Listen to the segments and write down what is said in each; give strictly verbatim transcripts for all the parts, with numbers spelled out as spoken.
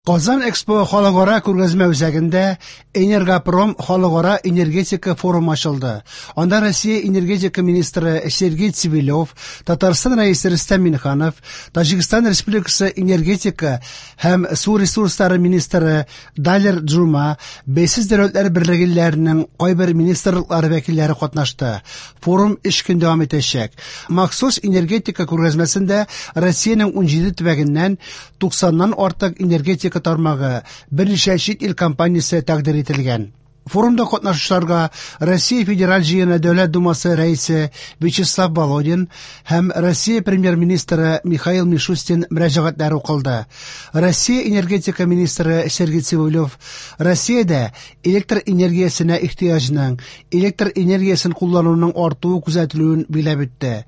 Казан Экспо халыкара күргәзмә үзәгендә Энергопром халыкара энергетика форумы ачылды. Анда Россия энергетика министры Сергей Цивилев, Татарстан Рәисе Рөстәм Миңнеханов, Таҗикстан Республикасы энергетика һәм су ресурслары министры Далер Джума, Бәйсез дәүләтләр берлеге илләренең кайбер министрлыклары вәкилләре катнашты. Форум өч көн дәвам итәчәк. Махсус энергетика күргәзмәсендә Россиянең унҗиде төбәгеннән туксаннан артык энергетика тармагы, берничә чит ил компаниясе тәкъдир ителгән. Форумда катнашучыларга Россия Федераль Җыены Дәүләт Думасы рәисе Вячеслав Володин һәм Россия премьер-министры Михаил Мишустин мөрәҗәгатьләре укылды. Россия энергетика министры Сергей Цивилев Россиядә электр энергиясенә ихтыяҗның, электр энергиясен куллануның артуы күзәтелүен билгеләп үтте.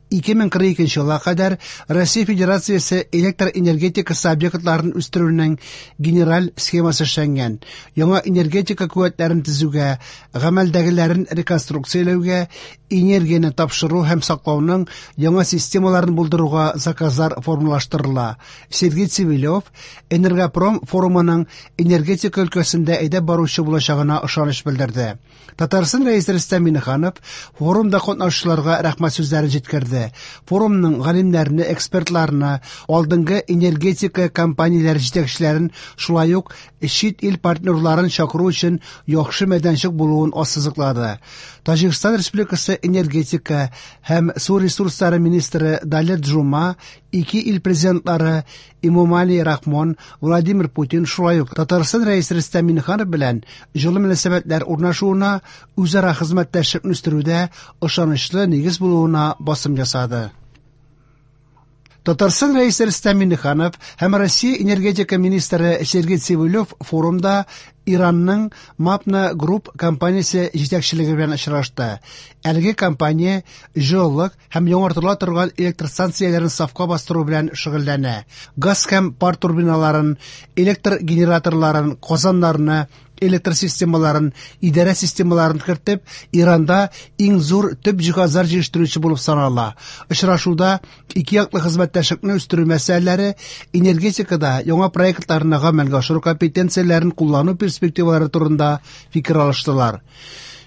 ике мең кырык икенче елга кадәр Россия Федерациясе электр энергетикасы объектларын үстерүнең генераль схемасы эшләнгән. Яңа энергетика куәтләрен төзүгә, гамәлдәгеләрен реконструкцияләүгә, энергияне тапшыру һәм саклауның яңа системаларын булдыруга заказлар формалаштырыла. Сергей Цивилев Энергопром форумының энергетика өлкәсендә әйдәп баручы булачагына ышаныч белдерде. Татарстан Рәисе Рөстәм Миңнеханов форумда катнашучыларга рәхмәт сүзләрен җиткерде. Форумның галимнәрне, экспертларны, алдынгы энергетика компанияләре җитәкчеләрен, шулай ук чит ил партнерларын чакыру өчен яхшы мәйданчык булуын ассызыклады. Таҗикстан Республикасы энергетика һәм су ресурслары министры Далер Джума ике ил президентлары Эмомали Рахмон, Владимир Путин, шулай ук Татарстан Рәисе Рөстәм Миңнеханов белән җылы мөнәсәбәтләр урнашуына, үзара хезмәттәшлекне үстерүдә ышанычлы нигез булуына басым ясады. Татарстан Рәисе Рөстәм Миңнеханов һәм Россия энергетика министры Сергей Цивилев форумда Иранның Мапна Group компаниясе җитәкчелеге белән очрашты. Әлеге компания җылылык һәм яңартыла торган электр станцияләрен сафка бастыру белән шөгыльләнә. Газ һәм пар турбиналарын, электр генераторларын, казаннарны, электр системаларын, идарә системаларын кертеп, Иранда иң зур төп җиһазлар җитештерүче булып санала. Очрашуда ике яклы хезмәттәшлекне үстерү мәсьәләләре, энергетикада яңа проектларны гамәлгә ашыру компетенцияләрен куллану перспективалары турында фикер алыштылар.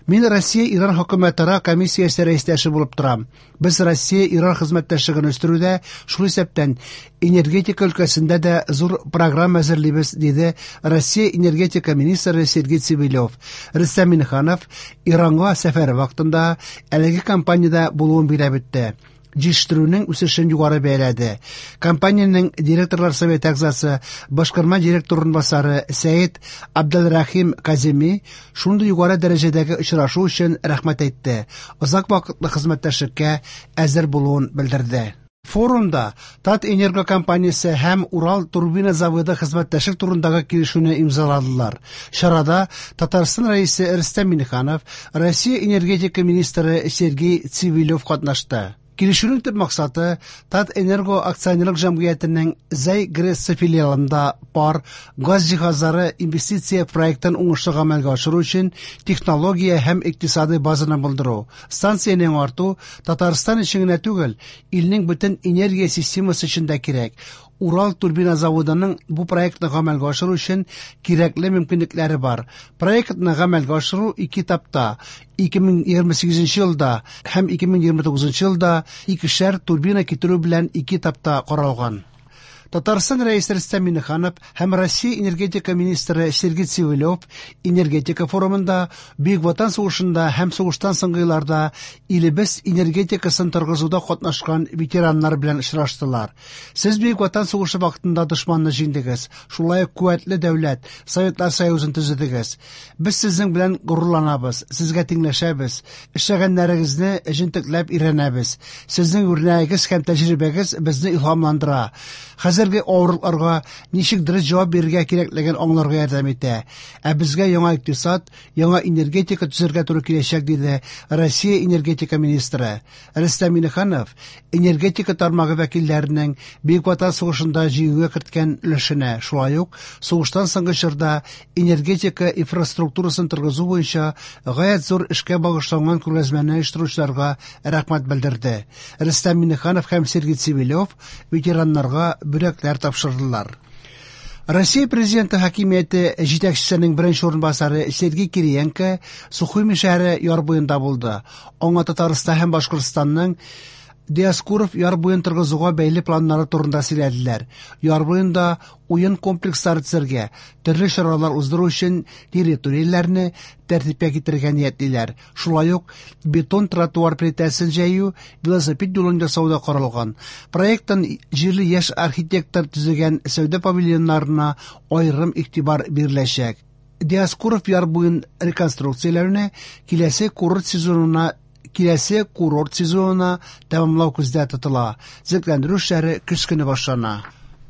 Мин Россия-Иран хөкүмәтара комиссиясе рәистәше булып торам. Без Россия-Иран хезмәттәшлеген үстерүдә, шул исәптән энергетика өлкәсендә дә зур программа әзерлибез, диде Россия энергетика министры Сергей Цивилев. Рөстәм Миңнеханов Иранга сәфәре вакытында әлеге компаниядә булуын билгеләп үтте. Җитештерүнең үсешен югары бәяләде. Компаниянең директорлар советы әгъзасы, башкарма директор урынбасары Сәет Абделрахим Каземи шундый югары дәрәҗәдәге очрашу өчен рәхмәт әйтте. Озак вакытлы хезмәттәшлеккә әзер булуын белдерде. Форумда Татэнерго компаниясе һәм Урал турбина заводы хезмәттәшлек турындагы килешүне имзаладылар. Чарада Татарстан Рәисе Рөстәм Миңнеханов, Россия энергетика министры Сергей Цивилев катнашты. Килешүнең төп максаты Татэнерго акционерлык җәмгыятенең Зәй ГРЭС филиалында пар газ җиһазлары инвестиция проектын уңышлы гамәлгә ашыру өчен технология һәм икътисадый базаны булдыру. Станцияне яңарту Татарстан өчен генә түгел, илнең бөтен энергия системасы өчен дә кирәк. Урал турбина заводының бу проектны гамәлгә ашыру өчен кирәкле мөмкинлекләре бар. Проектны гамәлгә ашыру ике этапта, ике мең егерме сигезенче елда һәм ике мең егерме тугызынчы елда икешәр турбина китерү белән ике этапта каралган. Татарстан Рәисе Рөстәм Миңнеханов һәм Россия энергетика министры Сергей Цивилев энергетика форумында Бөек Ватан сугышында һәм сугыштан соңгы елларда илебез энергетикасын торгызуда катнашкан ветераннар белән очраштылар. Сез Бөек Ватан сугышы вакытында дошманны җиңдегез, шулай ук куәтле дәүләт, Советлар Союзын төзедегез. Без сезнең белән горурланабыз, сезгә тиңләшәбез, эшләгәннәрегезне җентекләп өйрәнәбез. Сезнең үрнәгегез һәм тәҗрибәгез безне илһамландыра. Хәзерге авырлыкларга ничек дөрес җавап бирергә кирәклеген аңларга ярдәм итә. Ә безгә яңа икътисад, яңа энергетика төзергә туры киләчәк, диде Россия энергетика министры. Рөстәм Миңнеханов энергетика тармагы вәкилләренең Бөек Ватан сугышында җиңүгә керткән өлешенә, шулай ук сугыштан соңгы чорда энергетика инфраструктурасын торгызу буенча гаять зур эшкә багышланган күргәзмәне оештыручыларга рәхмәт белдерде. Рөстәм Миңнеханов һәм Сергей Цивилев ветераннарга бүләкләр тапшырдылар. Россия Президенты хакимияте җитәкчесенең беренче урынбасары Сергей Кириенко Сухуми шәһәре яр буенда булды. Аңа Татарстан һәм Башкортстанның Диаскуров яр буен торгызуга бәйле планнары турында сөйләделәр. Яр буенда уен комплекслары төзергә, төрле чаралар уздыру өчен территорияләрне тәртипкә китерергә ниятлиләр. Шулай ук бетон тротуар плитәсен җәю, велосипед юлын ясау да каралган. Проекттан җирле яшь архитектор төзегән сәүдә павильоннарына аерым игътибар биреләчәк. Диаскуров яр буен реконструкцияләүне киләсе курорт сезонына Киләсе курорт сезонына тәмамлау күздә тотыла. Төзекләндерү эшләре көз көне башлана.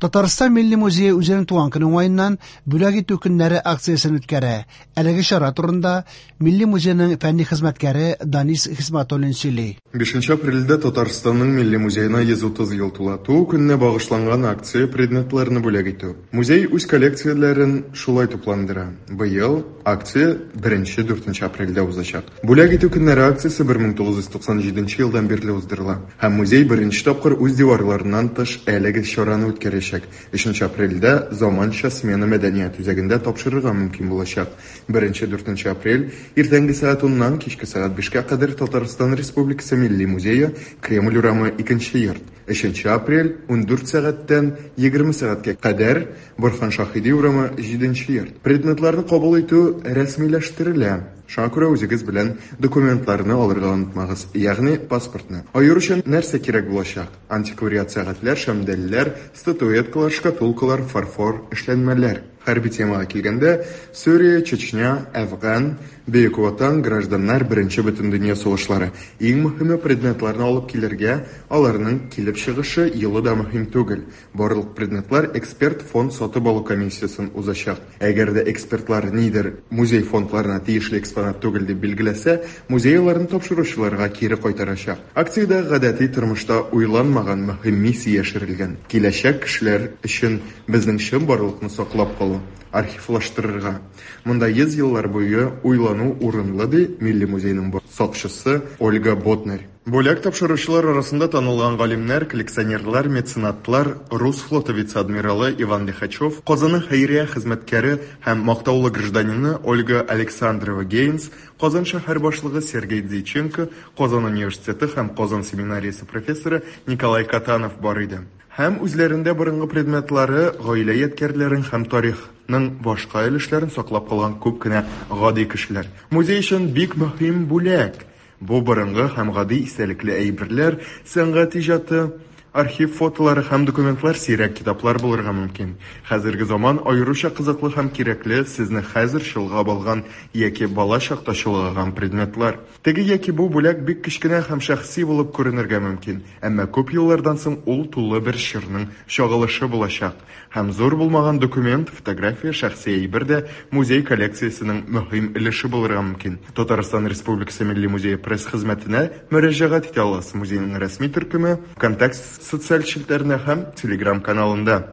Татарстан Милли музее үзенең туган көне уңаеннан бүләк итү көннәре акциясен үткәрә. Әлеге чара турында Милли музейның фәнни хезмәткәре Данис Хисматуллин сөйли. Бишенче апрельдә Татарстанның Милли музеена йөз утыз ел тула. Туу көненә багышланган акция предметларны бүләк итү. Музей үз коллекцияләрен шулай тупландыра. Быел акция беренче дүртенче апрельдә узачак. Бүләк итү көннәре акциясе бер мең тугыз йөз туксан җиденче елдан бирле уздырыла. Һәм музей беренче тапкыр үз диварларыннан тыш әлеге чараны үткәрәчәк. Өченче апрельдә заманча смена мәдәният үзәгендә тапшырырга мөмкин булачак. Беренче дүртенче апрель иртәнге сәгать уннан кичке сәгать бишкә кадәр Татарстан Республикасы Милли музее, Кремль урамы, икенче йорт. Өченче апрель ундүрт сәгатьтән егерме сәгатькә кадәр Борһан Шаһиди урамы, җиденче йорт. Предметларны кабул итү рәсмиләштерелә. Шуңа күрә үзегез белән документларны алырга онытмагыз, ягъни паспортны. Аеруча нәрсә кирәк булачак? Антиквариат сәгатьләр, шәмдәлләр, статуэткалар, шкатулкалар, фарфор эшләнмәләр. Хәрби темага килгәндә, Сүрия, Чечня, Әфган, Бөек Ватан, гражданнар, беренче бөтендөнья сугышлары. Иң мөһиме предметларны алып килергә, аларның килеп чыгышы елы да мөһим түгел. Барлык предметлар эксперт фонд сатып алу комиссиясен узачак. Әгәр дә экспертлар нидер музей фондларына тиешле экспонат түгел дип билгеләсә, музей аларны тапшыручыларга кире кайтарачак. Акциядә гадәти тормышта уйланмаган мөһим миссия яшерелгән. Киләчәк кешеләр өчен безнең чынбарлыкны саклап калу, архивлаштырырга. Монда йөз еллар буе уйлану урынлы, ди Милли музейның сакчысы Ольга Ботнарь. Бүләк тапшыручылар арасында танылган галимнәр, коллекционерлар, меценатлар, Рус флоты вице-адмиралы Иван Лихачев, Казанның хәйрия хезмәткәре һәм мактаулы гражданины Ольга Александрова Гейнс, Казан шәһәр башлыгы Сергей Дзиченко, Казан университеты һәм Казан семинариясе профессоры Николай Катанов бар иде. Һәм үзләрендә борынгы предметлары, гаилә ядкәрләрен һәм тарихның башка өлешләрен саклап калган күп кенә гади кешеләр. Музей өчен бик мөһим бүләк. Бу борынгы һәм гади истәлекле әйберләр, сәнгать иҗаты, архив фотолары һәм документлар, сирәк китаплар булырга мөмкин. Хәзерге заман аеруча кызыклы һәм кирәкле сезне хәзер чолгап алган яки бала чакта чолгаган предметлар. Теге яки бу бүләк бик кечкенә һәм шәхси булып күренергә мөмкин, әмма күп еллардан соң ул тулы бер чорның чагылышы булачак. Һәм зур булмаган документ, фотография, шәхси әйбер дә музей коллекциясенең мөһим өлеше булырга мөмкин. Татарстан Республикасы Милли музее пресс-хезмәтенә мөрәҗәгать итә аласыз. Музейның рәсми төркеме ВКонтакте социаль челтәренә һәм Telegram каналында.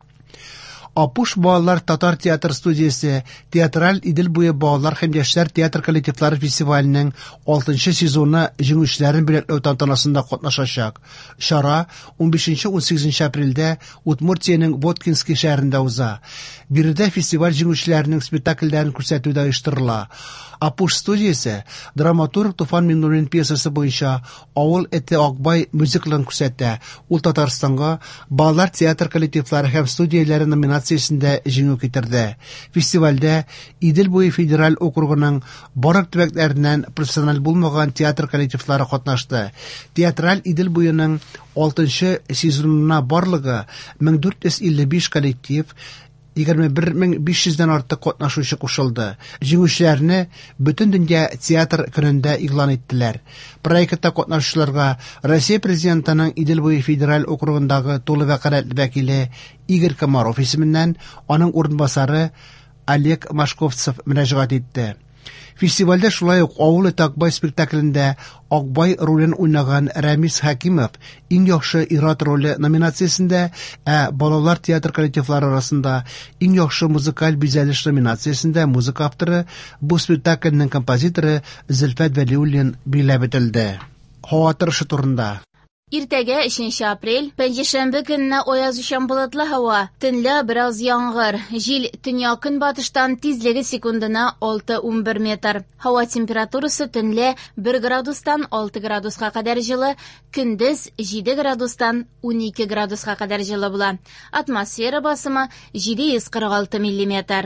Апуш балалар татар театр студиясе театраль Идел буе балалар һәм яшьләр театр коллективлары фестиваленең алтынчы сезоны җиңүчеләрен бүләкләү тантанасында катнашачак. Чара унбишенче унсигезенче апрельдә Удмуртиянең Воткинский шәһәрендә уза. Биредә фестиваль җиңүчеләренең спектакльләрен күрсәтү дә оештырыла. Апуш студиясе драматург Туфан Миңнуллин пьесасы буенча Авыл эте Акбай мюзиклын күрсәтә. Ул Татарстанга балалар театр коллективлары һәм студияләре номинациясендә җиңү китерде. Фестивальдә Идел буе федераль округының барлык төбәкләреннән профессиональ булмаган театр коллективлары катнашты. Театраль Идел буеның алтынчы сезонына барлыгы мең дүрт йөз илле биш коллектив, егерме бер мең биш йөздән артык катнашучы кушылды. Җиңүчеләрне бөтен дөнья театр көнендә игълан иттеләр. Проектта катнашучыларга Россия президентының Идел буе федераль округындагы тулы вәкаләтле вәкиле Игорь Комаров исеменнән аның урынбасары Олег Машковцев мөрәҗәгать итте. Фестивальдә шулай ук Авыл эте Акбай спектаклендә Акбай ролен уйнаган Рәмис Хәкимов иң яхшы ир-ат роле номинациясендә, ә балалар театр коллективлары арасында иң яхшы музыкаль бизәлеш номинациясендә музыка авторы, бу спектакльнең композиторы Зөлфәт Вәлиуллин билгеләп үтелде. Һава торышы турында. Иртәгә өченче апрель, пәнҗешәмбе көнне аязучан болытлы һава, төнлә бераз яңгыр. Җил төньяк-көнбатыштан, тизлеге секундына алты-унбер метр. Һава температурасы төнлә бер градустан алты градуска кадәр җылы, көндез җиде градустан унике градуска кадәр җылы була. Атмосфера басымы җиде йөз кырык алты миллиметр.